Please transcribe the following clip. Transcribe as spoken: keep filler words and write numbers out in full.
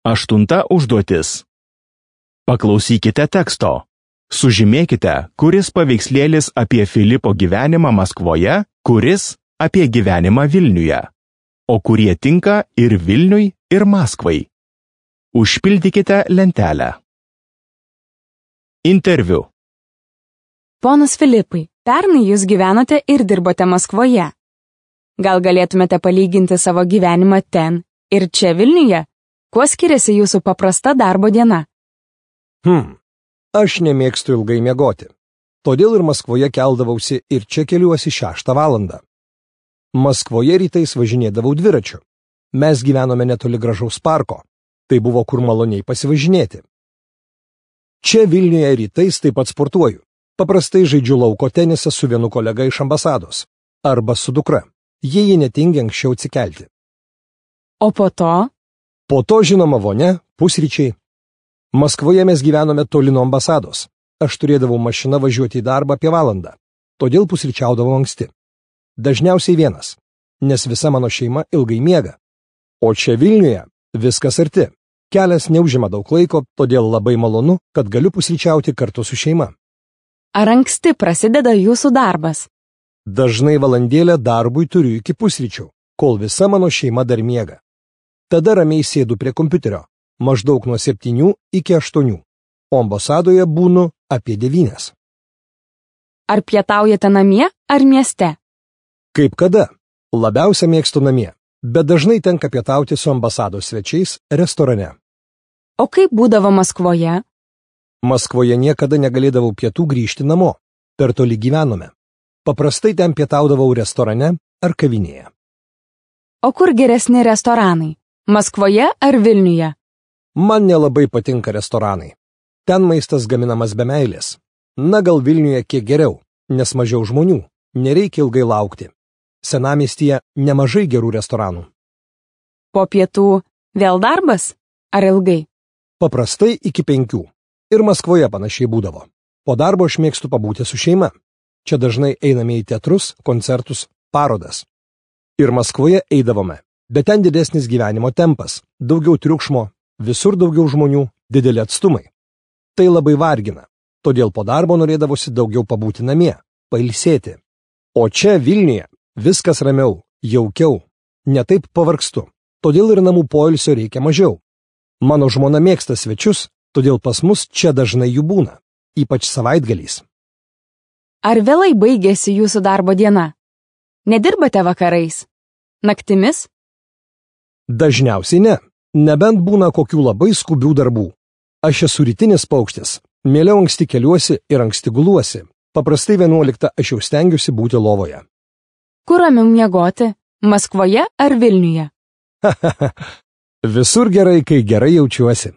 Aštunta užduotis. Paklausykite teksto. Sužymėkite, kuris paveikslėlis apie Filipo gyvenimą Maskvoje, kuris apie gyvenimą Vilniuje, o kurie tinka ir Vilniui, ir Maskvai. Užpildykite lentelę. Interviu. Ponas Filipai, pernai jūs gyvenote ir dirbote Maskvoje. Gal galėtumėte palyginti savo gyvenimą ten ir čia Vilniuje? Kuo skiriasi jūsų paprasta darbo diena? Hmm, aš nemėgstu ilgai miegoti. Todėl ir Maskvoje keldavausi ir čia keliuosi šeštą valandą. Maskvoje rytais važinėdavau dviračiu. Mes gyvenome netoli gražaus parko. Tai buvo kur maloniai pasivažinėti. Čia Vilniuje rytais taip pat sportuoju. Paprastai žaidžiu lauko tenisą su vienu kolega iš ambasados. Arba su dukra. Jie jį netingi anksčiau atsikelti. O po to? Po to žinoma vonia, pusryčiai. Maskvoje mes gyvenome toli nuo ambasados. Aš turėdavau mašiną važiuoti į darbą apie valandą. Todėl pusryčiaudavau anksti. Dažniausiai vienas, nes visa mano šeima ilgai miega. O čia Vilniuje viskas arti. Kelias neužima daug laiko, todėl labai malonu, kad galiu pusryčiauti kartu su šeima. Ar anksti prasideda jūsų darbas? Dažnai valandėlę darbui turiu iki pusryčių, kol visa mano šeima dar miega. Tada ramiai sėdu prie kompiuterio, maždaug nuo septynių iki aštuonių, o ambasadoje būnu apie devynias. Ar pietaujate namie ar mieste? Kaip kada? Labiausia mėgstu namie, bet dažnai tenka pietauti su ambasados svečiais restorane. O kaip būdavo Maskvoje? Maskvoje niekada negalėdavau pietų grįžti namo, per toli gyvenome. Paprastai ten pietaudavau restorane ar kavinėje. O kur geresni restoranai? Maskvoje ar Vilniuje? Man nelabai patinka restoranai. Ten maistas gaminamas be meilės. Na gal Vilniuje kiek geriau, nes mažiau žmonių, nereikia ilgai laukti. Senamiestyje nemažai gerų restoranų. Po pietų vėl darbas? Ar ilgai? Paprastai iki penkių. Ir Maskvoje panašiai būdavo. Po darbo aš mėgstu pabūti su šeima. Čia dažnai einame į teatrus, koncertus, parodas. Ir Maskvoje eidavome, bet ten didesnis gyvenimo tempas, daugiau triukšmo, visur daugiau žmonių, dideli atstumai. Tai labai vargina, todėl po darbo norėdavosi daugiau pabūti namie, pailsėti. O čia Vilniuje viskas ramiau, jaukiau, netaip pavargstu, todėl ir namų poilsio reikia mažiau. Mano žmona mėgsta svečius, todėl pas mus čia dažnai jų būna, ypač savaitgaliais. Ar vėlai baigėsi jūsų darbo diena? Nedirbate vakarais? Naktimis? Dažniausiai ne, nebent būna kokių labai skubių darbų. Aš esu rytinis paukštis, mieliau anksti keliuosi ir anksti guluosi. Paprastai vienuoliktą aš jau stengiuosi būti lovoje. Kur ramiau miegoti? Maskvoje ar Vilniuje? Visur gerai, kai gerai jaučiuosi.